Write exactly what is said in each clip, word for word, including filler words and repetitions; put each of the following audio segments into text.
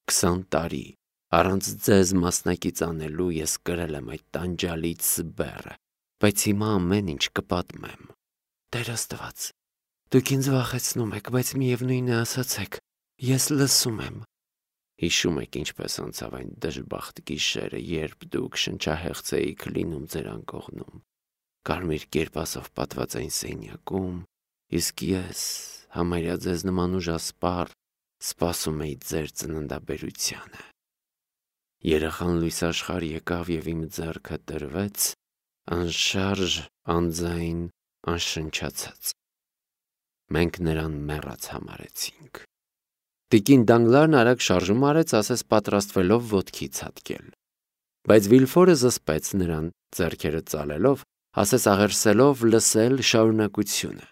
Քսան տարի առանց ձեզ մասնակից անելու ես կրել եմ այդ տանջալից բեռը, բայց հիմա ամեն ինչ կպատմեմ։ Տեր Աստված, դուք ինձ վախեցնում եք, բայց միևնույն է ասացեք, ես լսում եմ։ Հիշում եք ինչպես անցավ այն դժբախտ գիշերը, երբ դուք շնչահեղձ էիք լինում ձեր անկողնում, կարմիր կերպասով պատված այն սենյակում, իսկ ես, համարյա ձեզ նման ուժասպառ, սպասում էի ձեր ծննդաբերությանը։ Երեխան լույս աշխարհ եկավ և իմ ձեռքը տրվեց, անշարժ, անձայն, անշնչացած։ Մենք նրան մեռած համարեցինք։ Տիկին Դանգլարն արագ շարժում արեց, ասես պատրաստվելով ոտքի ցատկել։ Բայց Վիլֆորը զսպեց նրան, ձեռքերը ծալելով, ասես աղերսելով լսել շարունակությունը։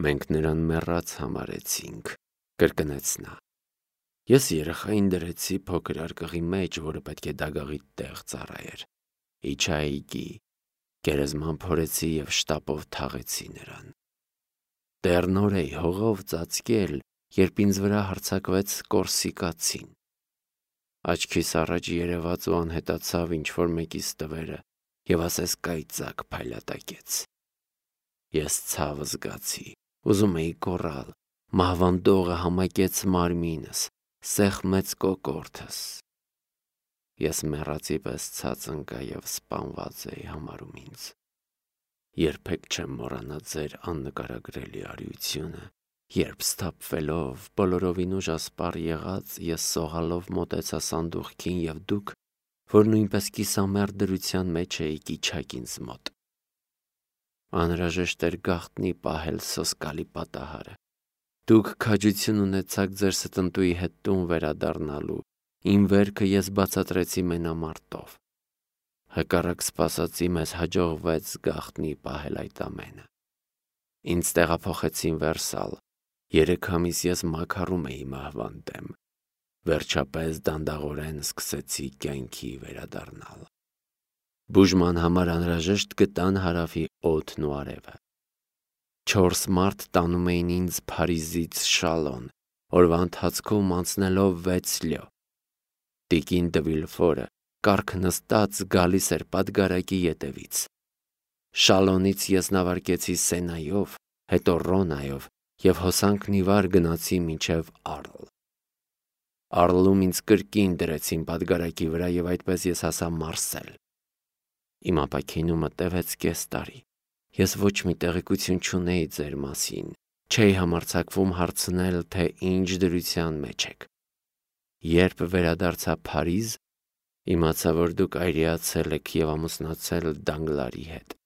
Մենք նրան մեռած համարեցինք, կրկնեց նա։ Ես երեխային դրեցի փոքր արկղի մեջ, որը պետք է դագաղի տեղ ծառայեր։ Իջա այգի, գերեզման փորեցի և շտապով թաղեցի նրան։ Դեռ նոր էի հողով ծածկել, երբ ինձ վրա հարձակվեց կորսիկացին։ Աչքիս առաջ երևաց ու անհետացավ ինչ-որ մեկի ստվերը և ասես կայծակ փայլատակեց։ Ես ցավ զգացի, ուզում էի գոռալ, մահվան դողը համակեց մարմինս, սեղմեց կոկորդս։ Ես մեռածի պես ցած ընկա և սպանված էի համարում ինձ։ Երբեք չեմ մոռանա ձեր աննկարագրելի արիությունը, երբ սթափվելով, բոլորովին ուժասպառ եղած, ես սողալով մոտեցա սանդուղքին և դուք, որ նույնպես կիսամեռ դրության մեջ էիք, իջաք ինձ մոտ։ Անհրաժեշտ էր գաղտնի պահել սոսկալի պատահարը։ Դուք քաջություն ունեցաք ձեր ստնտուի հետ տուն վերադառնալու, իմ վերքը ես բացատրեցի մենամարտով։ Հակառակ սպասածի մեզ հաջողվեց գաղտնի պահել այդ ամենը։ Ինձ տեղափոխեցին Վերսալ, երեք ամիս ես մաքարում էի մահվան դեմ, վերջապես դանդաղորեն սկսեցի կյանքի վերադառնալ։ Բուժման համար անհրաժեշտ գտան հարավի օդն ու արևը։ Չորս մարդ տանում էին ինձ Փարիզից Շալոն, օրվա ընթացքում անցնելով վեց լյո։ Տիկին դը Վիլֆորը կառք նստած գալիս էր պատգարակի ետևից։ Շալոնից ես նավարկեցի Սենայով, հետո Ռոնայով և հոսանքն ի վար գնացի մինչև Արլ։ Արլում ինձ կրկին դրեցին պատգարակի վրա և այդպես ես հասա Մարսել։ Իմ ապաքինումը տևեց կես տարի։ Ես ոչ մի տեղեկություն չունեի ձեր մասին, չէի համարձակվում հարցնել, թե ինչ դրության մեջ եք։ Երբ վերադարձա Փարիզ, իմացա, որ դուք այրիացել եք և ամուսնացել Դանգլարի հետ։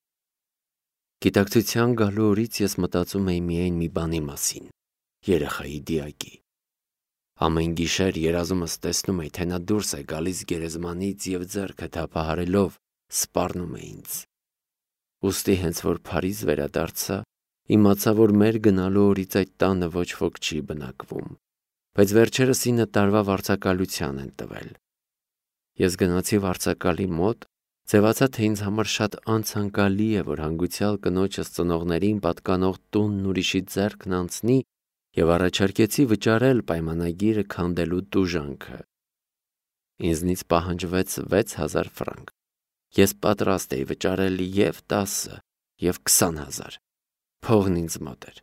Գիտակցության գալու օրից ես մտածում էի միայն մի բանի մասին՝ երեխայի դիակի։ Ամեն գիշեր երազումս տեսնում էի, թե նա դուրս է գալիս գերեզմանից և ձեռքը թափահարելով սպառնում է ինձ։ Ուստի հենց որ Փարիզ վերադարձա, իմացա, որ մեր գնալու օրից այդ տանը ոչ ոք չի բնակվում, բայց վերջերս ինը տարվա վարձակալության են տվել։ Ես գնացի վարձակալի մոտ, ձևացա, թե ինձ համար շատ անցանկալի է, որ հանգուցյալ կնոջս ծնողներին պատկանող տունն ուրիշի ձեռքն անցնի և առաջարկեցի վճարել պայմանագիրը քանդելու տուժանքը։ Ինձնից պահանջվեց վեց հազար ֆրանկ։ Ես պատրաստ էի վճարել և տասը, և քսան հազար։ Փողն ինձ մոտ էր։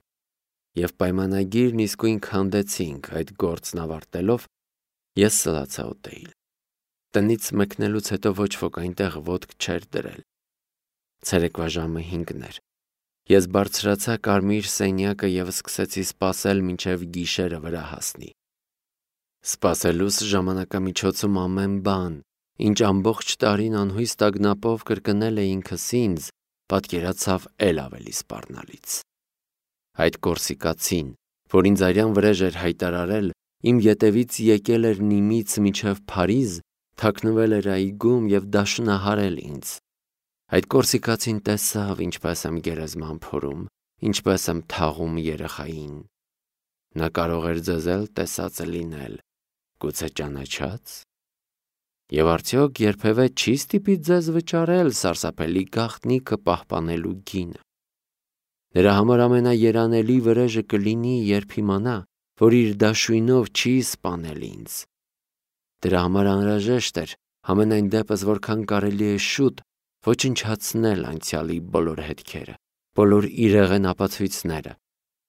Եվ պայմանագիրն իսկույն քանդեցինք, այդ գործն ավարտելով ես սլացա ուտեիլ։ Տնից մեկնելուց հետո ոչ ոք այնտեղ ոտք չէր դրել։ Ցերեկվա ժամը հինգն էր։ Ես բարձրացա կարմիր սենյակը և սկսեցի սպասել, մինչև գիշերը վրա հասնի։ Սպասելուս ժամանակամիջոցում ամեն բան, ինչ ամբողջ տարին անհույս տագնապով կրկնել էի ինքս ինձ, պատկերացավ էլ ավելի սպառնալից։ Այդ կորսիկացին, որ ինձ արյան վրեժ էր հայտարարել, իմ ետևից եկել էր Նիմից մինչև Փարիզ, թաքնվել էր այգում և դաշնահարել ինձ։ Այդ կորսիկացին տեսավ, ինչպես եմ գերեզման փորում, ինչպես եմ թաղում երեխային։ Նա կարող էր ձեզ էլ տեսածը լինել, գուցե ճանաչա՞ց։ Եվ արդյոք երբևէ չի ստիպի ձեզ վճարել սարսափելի գաղտնիքը պահպանելու գինը։ Նրա համար ամենաերանելի վրեժը կլինի, երբ իմանա, որ իր դաշույնով չի սպանել ինձ, Դրա համար անհրաժեշտ էր ամենայն դեպս որքան կարելի է շուտ ոչնչացնել անցյալի բոլոր հետքերը, բոլոր իրեղեն ապացույցները,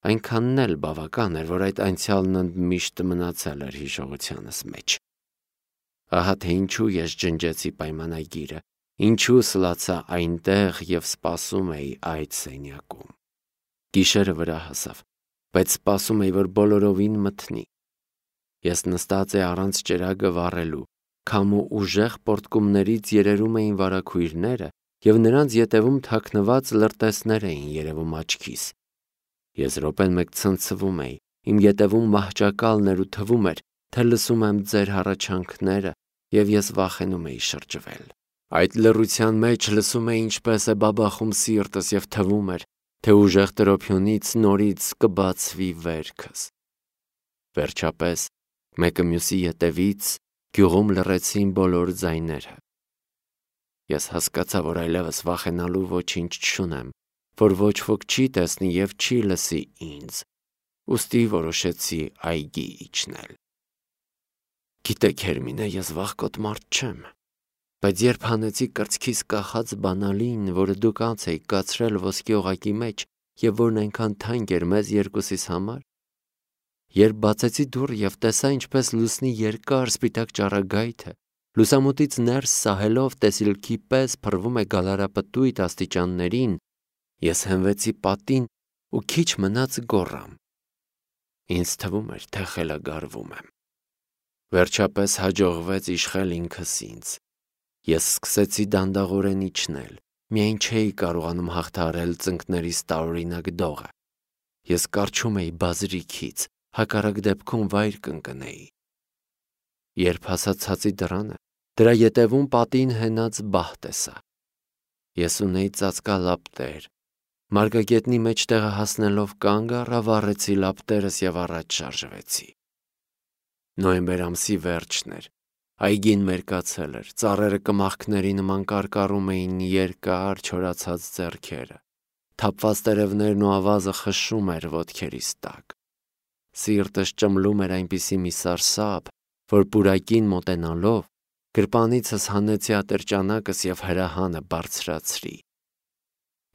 այնքանն էլ բավական էր, որ այդ անցյալն ընդմիշտ մնացել էր հիշողությանս մեջ։ Ահա թե ինչու ես ջնջեցի պայմանագիրը, ինչու սլացա այնտեղ և սպասում էի այդ սենյակում։ Գիշերը վրա հասավ, բայց սպասում էի, որ բոլորովին մթնի։ Ես նստած էի առանց ճրագը վառելու, քամու ուժեղ պոռթկումներից երերում էին վարագույրները և նրանց ետևում թաքնված լրտեսներ էին երևում աչքիս։ Ես րոպեն մեկ ցնցվում էի, իմ ետևում մահճակալն էր ու թվում էր, թե լսում եմ ձեր հառաչանքները և ես վախենում էի շրջվել։ Այդ լռության մեջ լսում էի ինչպես է բաբախում սիրտս և թվում էր, թե ուժեղ տրոփյունից նորից կբացվի վերքս։ Վերջապես, մեկը մյուսի ետևից գյուղում լռեցին բոլոր ձայները։ Ես հասկացա, որ այլևս վախենալու ոչինչ չունեմ, որ ոչ ոք չի տեսնի և չի լսի ինձ, ուստի որոշեցի այգի իջնել։ Գիտեք, Հերմինե, ես վախկոտ մարդ չեմ, բայց երբ հանեցի կրծքիս կախած բանալին, որը դուք անց էիք կացրել ոսկի օղակի մեջ և որն այնքան թանկ էր մեզ երկուսիս համար, երբ բացեցի դուռը և տեսա, ինչպես լուսնի երկար սպիտակ ճառագայթը, լուսամուտից ներս սահելով տեսիլքի պես փռվում է գալարապտույտ աստիճաններին, ես հենվեցի պատին ու քիչ մնաց գոռամ։ Ինձ թվում էր, թե խելագարվում եմ։ Վերջապես հաջողվեց իշխել ինքս ինձ։ Ես սկսեցի դանդաղորեն իջնել, միայն չէի կարողանում հաղթահարել ծնկներիս տարօրինակ դողը։ Ես կառչում էի բազրիքից, հակառակ դեպքում վայր կընկնեի։ Երբ հասա ցածի դռանը, դրա ետևում պատին հենած բահ տեսա։ Ես ունեի ծածկալապտեր։ Մարգագետնի մեջտեղը հասնելով կանգ առա, վառեցի լապտերս և առաջ շարժվեցի։ Նոյեմբեր ամսի վերջն էր։ Այգին մերկացել էր, ծառերը կմախքների նման կարկառում էին երկար չորացած ձեռքերը, թափված տերևներն ու ավազը խշշում էր ոտքերիս տակ։ Սիրտս ճմլում էր այնպիսի մի սարսափ, որ պուրակին մոտենալով գրպանիցս հանեցի ատրճանակս և հրահանը բարձրացրի։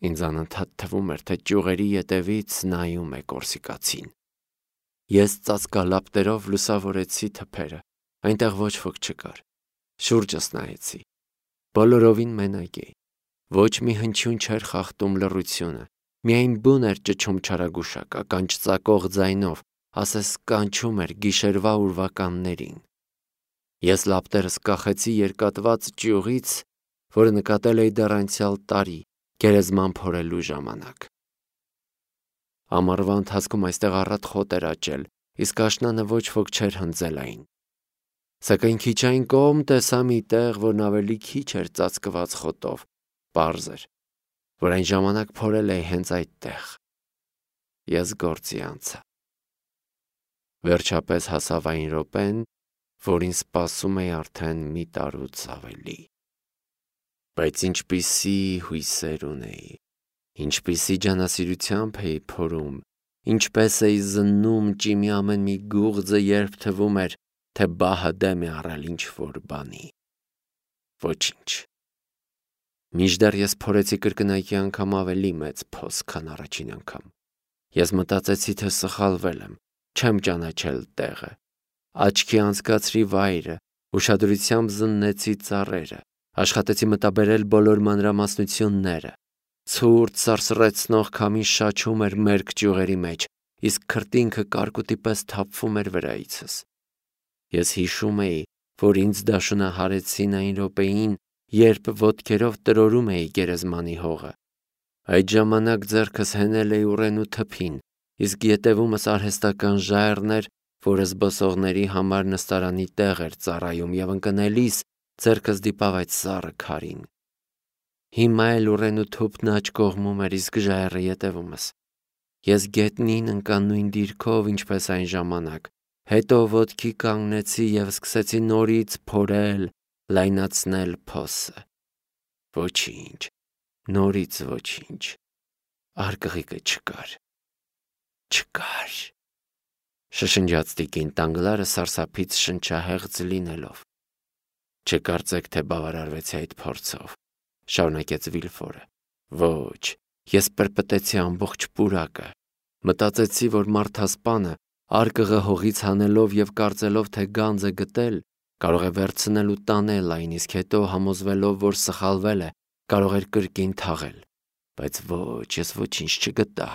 Ինձ անընդհատ թվում էր, թե ճյուղերի ետևից նայում է կորսիկացին։ Ես ծածկալապտերով լուսավորեցի թփերը, այնտեղ ոչ ոք չկար։ Շուրջս նայեցի։ Բոլորովին մենակ էի։ Ոչ մի հնչյուն չէր խախտում լռությունը, միայն բուն էր ճչում չարագուշակ, ականջ ծակող ձայնով, ասես կանչում էր գիշերվա ուրվականներին։ Ես լապտերս կախեցի երկատված ճյուղից, որը նկատել էի դեռ անցյալ տարի, գերեզման փորելու ժամանակ։ Ամառվա ընթացքում այստեղ առատ խոտ էր աճել, իսկ աշնանը ոչ ոք չէր հնձել այն։ Սակայն քիչ այն կողմ տեսա մի տեղ, որն ավելի քիչ էր ծածկված խոտով, պարզ էր, որ այն ժամանակ փորել էի հենց այդտեղ։ Ես գործի անցա։ Վերջապես հասավ այն րոպեն, որին սպասում էի արդեն մի տարուց ավելի։ Բայց ինչպիսի հույսեր ունեի, ինչպիսի ջանասիրությամբ էի փորում, ինչպես էի զննում ճիմի ամեն մի գուղձը, երբ թվում էր, թե բահը դեմ է առել ինչ-որ բանի։ Ոչինչ։ Մինչդեռ ես փորեցի կրկնակի անգամ ավելի մեծ փոս, քան առաջին անգամ։ Ես մտածեցի, թե սխալվել եմ, չեմ ճանաչել տեղը։ Աչքի անցկացրի վայրը, ուշադրությամբ զննեցի ծառերը, աշխատեցի մտաբերել բոլոր մանրամասնությունները։ Ցուրտ սարսռեցնող քամին շաչում էր մերկ ճյուղերի մեջ, իսկ քրտինքը կարկուտի պես թափվում էր վրայիցս։ Ես հիշում էի, որ ինձ դաշնահարեցին այն րոպեին, երբ ոտքերով տրորում էի գերեզմանի հողը։ Այդ ժամանակ ձեռքս հենել էի ուռենու թփին, իսկ ետևումս արհեստական ժայռն էր, որը զբոսողների համար նստարանի տեղ էր ծառայում, և ընկնելիս ձեռքս դիպավ այդ սառը քարին։ Հիմա էլ ուռենու թուփն աջ կողմում էր, իսկ ժայռը ետևումս։ Ես գետնին ընկա նույն դիրքով, ինչպես այն ժամանակ, հետո ոտքի կանգնեցի և սկսեցի նորից փորել, լայնացնել փոսը։ Ոչինչ, նորից ոչինչ, արկղիկը չկար, չկար։ Շշնջաց տիկին Դանգլարը սարսափից շնչահեղձ լինելով։ Չկարծեք, թե բավարարվեցի այդ փորձով, շարունակեց Վիլֆորը։ Ոչ, ես պրպտեցի ամբողջ պուրակը։ Մտածեցի, որ մարդասպանը արկղը հողից հանելով եւ կարծելով, թե գանձ է գտել, կարող է վերցնել ու տանել այն, իսկ հետո համոզվելով, որ սխալվել է, կարող էր կրկին թաղել։ Բայց ոչ, ես ոչինչ չգտա։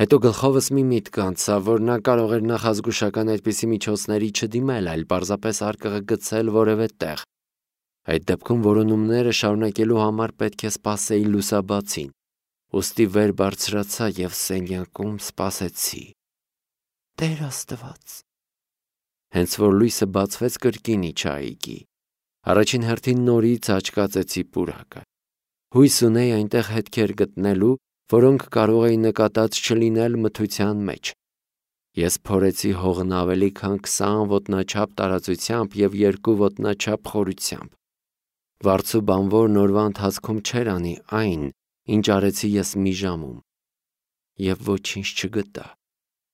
Հետո գլխովս մի միտք անցավ, որ նա կարող էր նախազգուշական այդպիսի միջոցների չդիմել, այլ պարզապես արկղը գցել որևէ տեղ։ Այդ դեպքում որոնումները շարունակելու համար պետք է սպասեի լուսաբացին։ Ուստի վեր բարձրացա եւ սենյակում սպասեցի։ Տեր Աստված։ Հենց որ լույսը բացվեց, կրկին իջա այգի։ Առաջին հերթին նորից աչքացեցի պուրակը։ Հույս ունեի այնտեղ հետքեր գտնելու, որոնք կարող էին նկատած չլինել մթության մեջ։ Ես փորեցի հողն ավելի քան քսան ոտնաչափ տարածությամբ եւ երկու ոտնաչափ խորությամբ։ Վարձու բանվորն օրվա ընթացքում չէր անի այն, ինչ արեցի ես մի ժամում։ Եվ ոչինչ չգտա,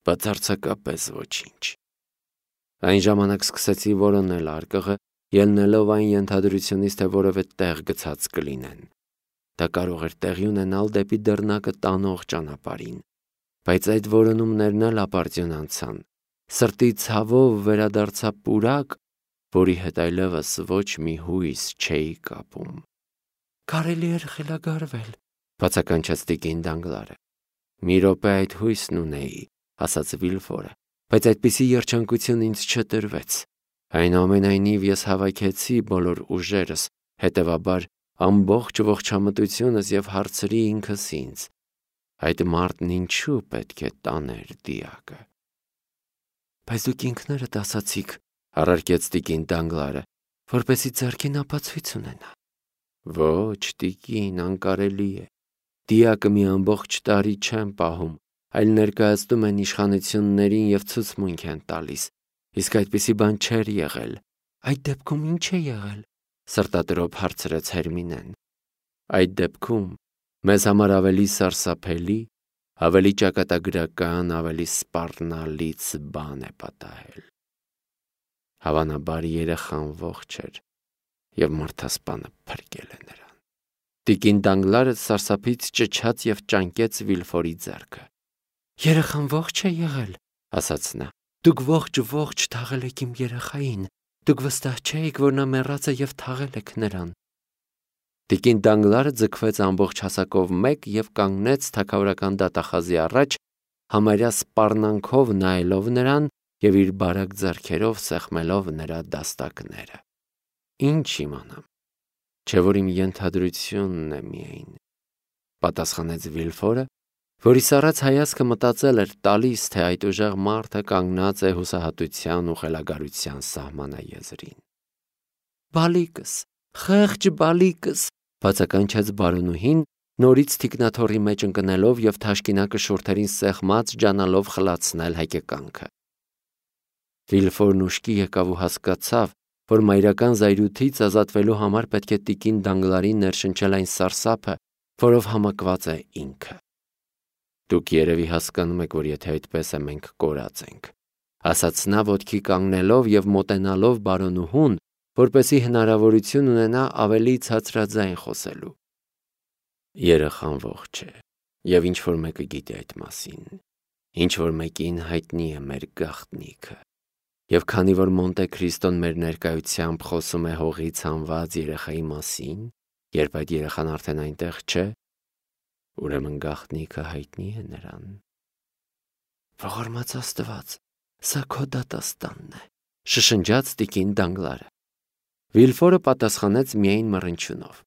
բացարձակապես ոչինչ։ Այն ժամանակ սկսեցի որոնել արկղը, ելնելով այն ենթադրությունից, թե որևէ տեղ գցած կլինեն։ Դա կարող էր տեղի ունենալ դեպի դռնակը տանող ճանապարհին, բայց այդ որոնումներն էլ ապարդյուն անցան։ Սրտի ցավով վերադարձա պուրակ, որի հետ այլևս ոչ մի հույս չէի կապում։ Կարելի էր խելագարվել, բացականչեց տիկին Դանգլարը։ Մի րոպե այդ հույսն ունեի, ասաց Վիլֆորը, բայց այդպիսի երջանկություն ինձ չտրվեց։ Այնուամենայնիվ ես հավաքեցի բոլոր ուժերս, հետևաբար ամբողջ ողջամտությունս եւ հարցրի ինքս ինձ. այդ մարդն ինչու պետք է տաներ դիակը։ Բայց դուք ինքներդ ասացիք, առարկեց տիկին Դանգլարը, որպեսզի ձեռքին ապացույց ունենա։ Ոչ, տիկին, անկարելի է։ Դիակը մի ամբողջ տարի չեն պահում, այլ ներկայացնում են իշխանություններին եւ ցուցմունք են տալիս, իսկ այդպիսի բան չէր եղել։ Այդ դեպքում ինչ է եղել, սրտատրոփ հարցրեց Հերմինեն։ Այդ դեպքում մեզ համար ավելի սարսափելի, ավելի ճակատագրական, ավելի սպառնալից բան է պատահել։ Հավանաբար երեխան ողջ էր եւ մարդասպանը փրկել է նրան։ Տիկին Դանգլարը սարսափից ճչաց եւ ճանկեց Վիլֆորի ձեռքը։ Երեխան ողջ է եղել, ասաց նա։ Դուք ողջ-ողջ թաղել եք իմ երեխային։ Դուք վստահ չէիք, որ նա մեռած է եւ թաղել եք նրան։ Տիկին Դանգլարը ձգվեց ամբողջ հասակով մեկ եւ կանգնեց թագավորական դատախազի առաջ, համարյա սպառնանքով նայելով նրան եւ իր բարակ ձեռքերով սեղմելով նրա դաստակները։ Ինչ իմանամ, չէ որ իմ ենթադրությունն է միայն, պատասխանեց Վիլֆորը, որի սառած հայացքը մտածել էր տալիս, թե այդ ուժեղ մարդը կանգնած է հուսահատության ու խելագարության սահմանաեզրին։ Բալիկս, խեղճ բալիկս, բացականչեց բարոնուհին, նորից թիկնաթոռի մեջ ընկնելով եւ թաշկինակը շուրթերին սեղմած ջանալով խլացնել հայկեկանքը։ Վիլֆորն ուշքի եկավ ու հասկացավ, որ մայրական զայրույթից ազատվելու համար պետք է տիկին Դանգլարին ներշնչել այն սարսափը, որով համակված է ինքը։ Դուք երևի հասկանում եք, որ եթե այդպես է, մենք կորած ենք, ասաց նա ոտքի կանգնելով եւ մոտենալով բարոնուհուն, որպեսզի հնարավորություն ունենա ավելի ցածրաձայն խոսելու։ Երեխան ողջ է, եւ ինչ որ մեկը գիտի այդ մասին, ինչ որ մեկին հայտնի է մեր գաղտնիքը։ Եվ քանի որ Մոնտե Քրիստոն մեր ներկայությամբ խոսում է հողից հանված երեխայի մասին, երբ այդ երեխան արդեն այնտեղ չէ, ուրեմն գաղտնիքը հայտնի է նրան։ Ողորմած Աստված, սա քո դատաստանն է, շշնջաց տիկին Դանգլարը։ Վիլֆորը պատասխանեց միայն մռնչյունով։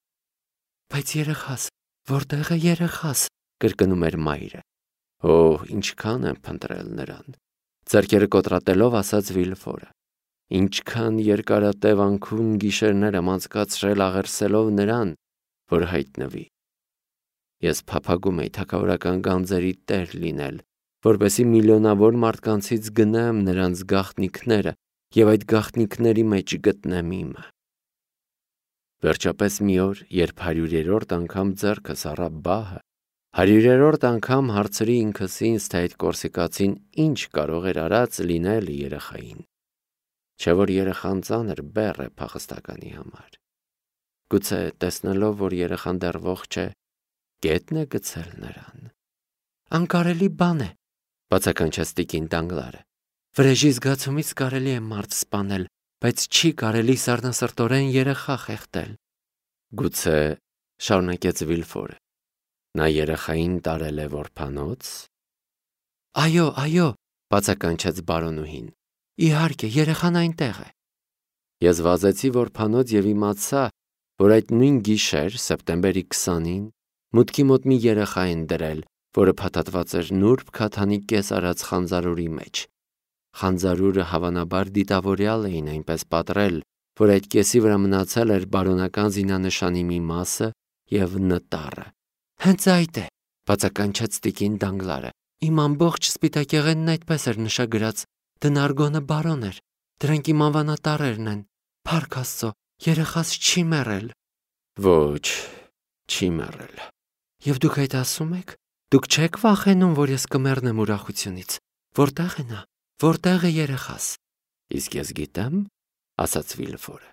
Բայց երեխաս, որտեղ է երեխաս, կրկնում էր մայրը։ Օհ, ինչքան եմ փնտրել նրան, ձեռքերը կոտրատելով ասաց Վիլֆորը։ Ինչքան երկարատևանքուն գիշերներ եմ անցկացրել աղերսելով նրան, որ հայտնվի։ Ես փափագում էի թագավորական գանձերի տեր լինել, որպեսզի միլիոնավոր մարդկանցից գնեմ նրանց գաղտնիքները եւ այդ գաղտնիքների մեջ գտնեմ իմը։ Վերջապես մի օր, երբ հարյուրերորդ անգամ ձեռքս առա բահը, Հարյուրերորդ անգամ հարցրի ինքս ինձ, թե այդ կորսիկացին ինչ կարող էր արած լինել երեխային։ Չէ որ երեխան ծանր բեռ է փախստականի համար։ Գուցե տեսնելով, որ երեխան դեռ ողջ է, գետն է գցել նրան։ Անկարելի բան է, բացականչեց տիկին Դանգլարը։ Վրեժի զգացումից կարելի է մարդ սպանել, բայց չի կարելի սառնասրտորեն երեխա խեղդել։ Գուցե, շարունակեց Վիլֆորը, նա երեխային տարել է որբանոց։ Այո, այո, բացականչեց բարոնուհին։ Իհարկե, երեխան այնտեղ է։ Ես վազեցի որբանոց եւ իմացա, որ այդ նույն գիշեր, սեպտեմբերի քսանին, մուտքի մոտ մի երեխա են դրել, որը փաթաթված էր նուրբ քաթանի կես արած խանձարուրի մեջ։ Խանձարուրը հավանաբար դիտավորյալ էին այնպես պատռել, որ այդ կեսի վրա մնացել էր բարոնական զինանշանի մի մասը եւ նտառը։ Հենց այդ է, բացականչեց տիկին Դանգլարը։ Իմ ամբողջ սպիտակեղենն այդպես էր նշագրած։ Դնարգոնը բարոն էր։ Դրանք իմ անվանատարերն են։ Փառք Աստծո, երեխաս չի մեռել։ Ոչ, չի մեռել։ Եվ դուք այդ ասում եք։ Դուք չեք վախենում, որ ես կմեռնեմ ուրախությունից։ Որտեղ է նա։ Որտեղ է երեխաս։ Իսկ ես գիտեմ, ասաց Վիլֆորը։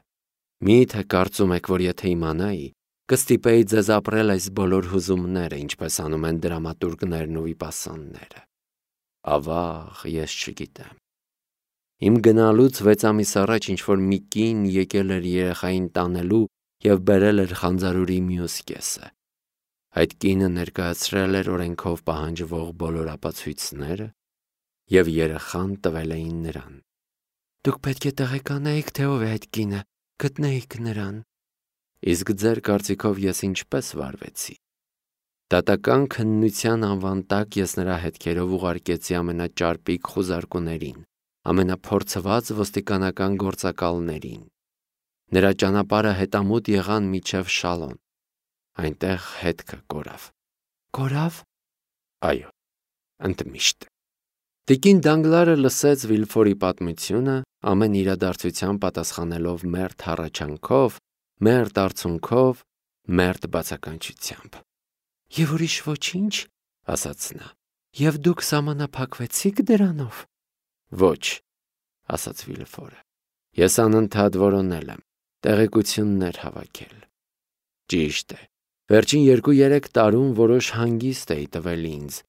Մի՞թե կարծում եք, որ եթե իմանայի, կստիպեի ձեզ ապրել այս բոլոր հուզումները, ինչպես անում են դրամատուրգներն ու վիպասանները։ Ավաղ, ես չգիտեմ։ Իմ գնալուց վեց ամիս առաջ ինչ-որ մի կին եկել էր երեխային տանելու և բերել էր խանձարուրի մյուս կեսը։ Այդ կինը ներկայացրել էր օրենքով պահանջվող բոլոր ապացույցները և երեխան տվել էին նրան։ Դուք պետք է տեղեկանայիք, թե ով է այդ կինը, գտնեիք նրան։ Իսկ ձեր կարծիքով ես ինչպես վարվեցի։ Դատական քննության անվան տակ ես նրա հետքերով ուղարկեցի ամենաճարպիկ խուզարկուներին, ամենափորձված ոստիկանական գործակալներին։ Նրա ճանապարհը հետամուտ եղան մինչև Շալոն։ Այնտեղ հետքը կորավ։ Կորավ։ Այո, ընդմիշտ։ Տիկին Դանգլարը լսեց Վիլֆորի պատմությունը, ամեն իրադարձության պատասխանելով մերթ հառաչանքով, մերթ արցունքով, մերթ բացականչությամբ։ Եվ ուրիշ ոչինչ, ասաց նա։ Եվ դուք սահմանափակվեցիք դրանով։ Ոչ, ասաց Վիլֆորը։ Ես անընդհատ որոնել եմ, տեղեկություններ հավաքել։ Ճիշտ է, վերջին երկու-երեք տարում որոշ հանգիստ էի տվել ինձ,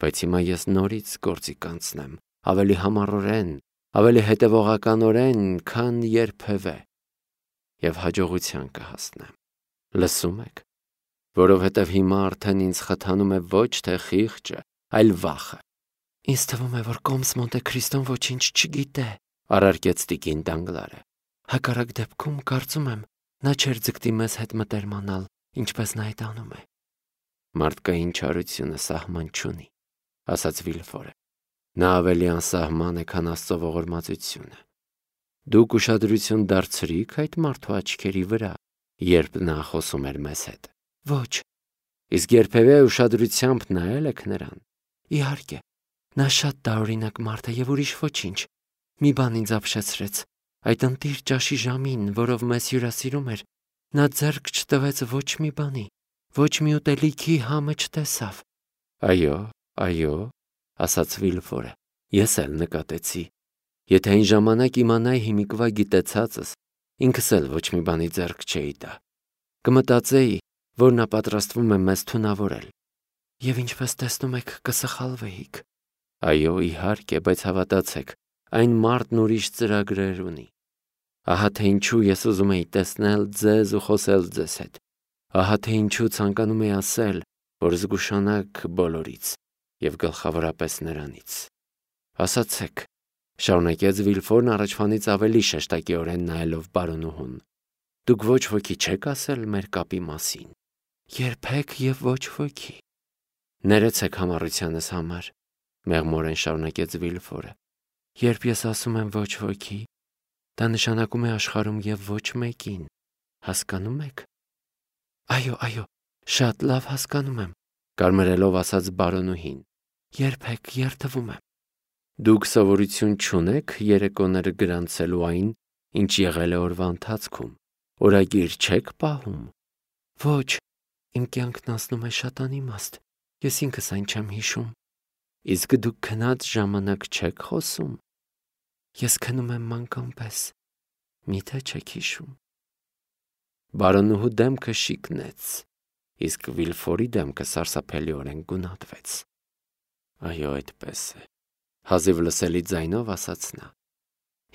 բայց հիմա ես նորից գործի կանցնեմ, ավելի համառորեն, ավելի հետևողականորեն, քան երբևէ, և հաջողության կհասնեմ։ Լսում եք, որովհետև հիմա արդեն ինձ խթանում է ոչ թե խիղճը, այլ վախը։ Ինձ թվում է, որ Կոմս Մոնտե Քրիստոն ոչինչ չգիտե, առարկեց տիկին Դանգլարը։ Հակառակ դեպքում, կարծում եմ, նա չէր ձգտի մեզ հետ մտերմանալ, ինչպես նա այդ անում է։ Մարդկային չարությունը սահման չունի, ասաց Վիլֆորը։ Նա ավելի անսահման է, քան Աստծո ողորմածությունը։ Դուք ուշադրություն դարձրի՞ք այդ մարդու աչքերի վրա, երբ նա խոսում էր մեզ հետ։ Ոչ։ Իսկ երբևէ ուշադրությամբ նայել եք նրան։ Իհարկե, նա շատ տարօրինակ մարդ է և ուրիշ ոչինչ։ Մի բան ինձ ապշեցրեց։ Այդ ընտիր ճաշի ժամին, որով մեզ հյուրասիրում էր, նա ձեռք չտվեց ոչ մի բանի, ոչ մի ուտելիքի համը չտեսավ։ Այո, այո, ասաց Վիլֆորը, ես էլ նկատեցի։ Եթե այն ժամանակ իմանայի հիմիկվա գիտեցածս, ինքս էլ ոչ մի բանի ձեռք չէի տա։ Կմտածեի, որ նա պատրաստվում է մեզ թունավորել։ Եվ ինչպես տեսնում եք, կսխալվեիք։ Այո, իհարկե, բայց հավատացեք, այն մարդն ուրիշ ծրագրեր ունի։ Ահա թե ինչու ես ուզում էի տեսնել ձեզ ու խոսել ձեզ հետ։ Ահա թե ինչու ցանկանում էի ասել, որ զգուշանաք բոլորից և գլխավորապես նրանից։ Ասացեք, շարունակեց Վիլֆորն առաջվանից ավելի շեշտակիորեն նայելով բարոնուհուն։ Դուք ոչ ոքի չեք ասել մեր կապի մասին։ Երբեք և ոչ ոքի։ Ներեցեք համառությանս համար, մեղմորեն շարունակեց Վիլֆորը։ Երբ ես ասում եմ ոչ ոքի, դա նշանակում է աշխարհում և ոչ մեկին, հասկանում եք։ Այո, այո, շատ լավ հասկանում եմ, կարմրելով ասաց բարոնուհին։ Երբեք երդվում եմ։ Դուք սովորություն չունեք երեկոները գրանցելու այն, ինչ եղել է օրվա ընթացքում, օրագիր չեք պահում։ Ոչ, իմ կյանքն անցնում է շատ անիմաստ, Ես ինքս այն չեմ հիշում։ Իսկ դուք քնած ժամանակ չեք խոսում։ Ես քնում եմ մանկան պես։ Միթե չեք հիշում։ Բարոնուհու դեմքը շիկնեց, իսկ Վիլֆորի դեմքը սարսափելիորեն գունատվեց։ Այո, այդպես է, հազիվ լսելի ձայնով ասաց նա։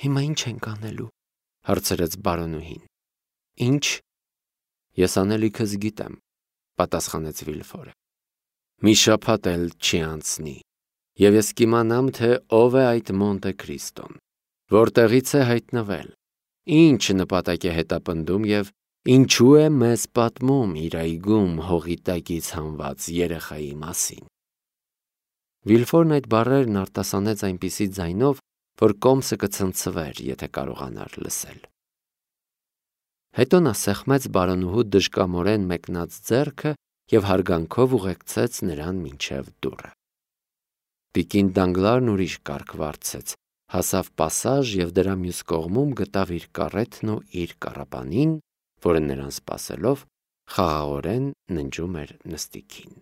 Հիմա ինչ ենք անելու, հարցրեց բարոնուհին։ Ինչ։ Ես անելիքս գիտեմ, պատասխանեց Վիլֆորը։ Մի շաբաթ էլ չի անցնի, եւ ես կիմանամ, թե ով է այդ Մոնտե Քրիստոն, որտեղից է հայտնվել, ինչ նպատակ է հետապնդում եւ ինչու է մեզ պատմում իր այգում հողի տակից հանված երեխայի մասին։ Վիլֆորն այդ բառերն արտասանեց այնպիսի ձայնով, որ կոմսը կցնցվեր, եթե կարողանար լսել։ Հետո նա սեղմեց բարոնուհու դժկամորեն մեկնած ձեռքը եւ հարգանքով ուղեկցեց նրան մինչև դուռը։ Տիկին Դանգլարն ուրիշ կարգ վարձեց, հասավ պասաժ եւ դրա մյուս կողմում գտավ իր կարեթն ու իր կառապանին, որը նրան սպասելով խաղաղորեն ննջում էր նստիկին։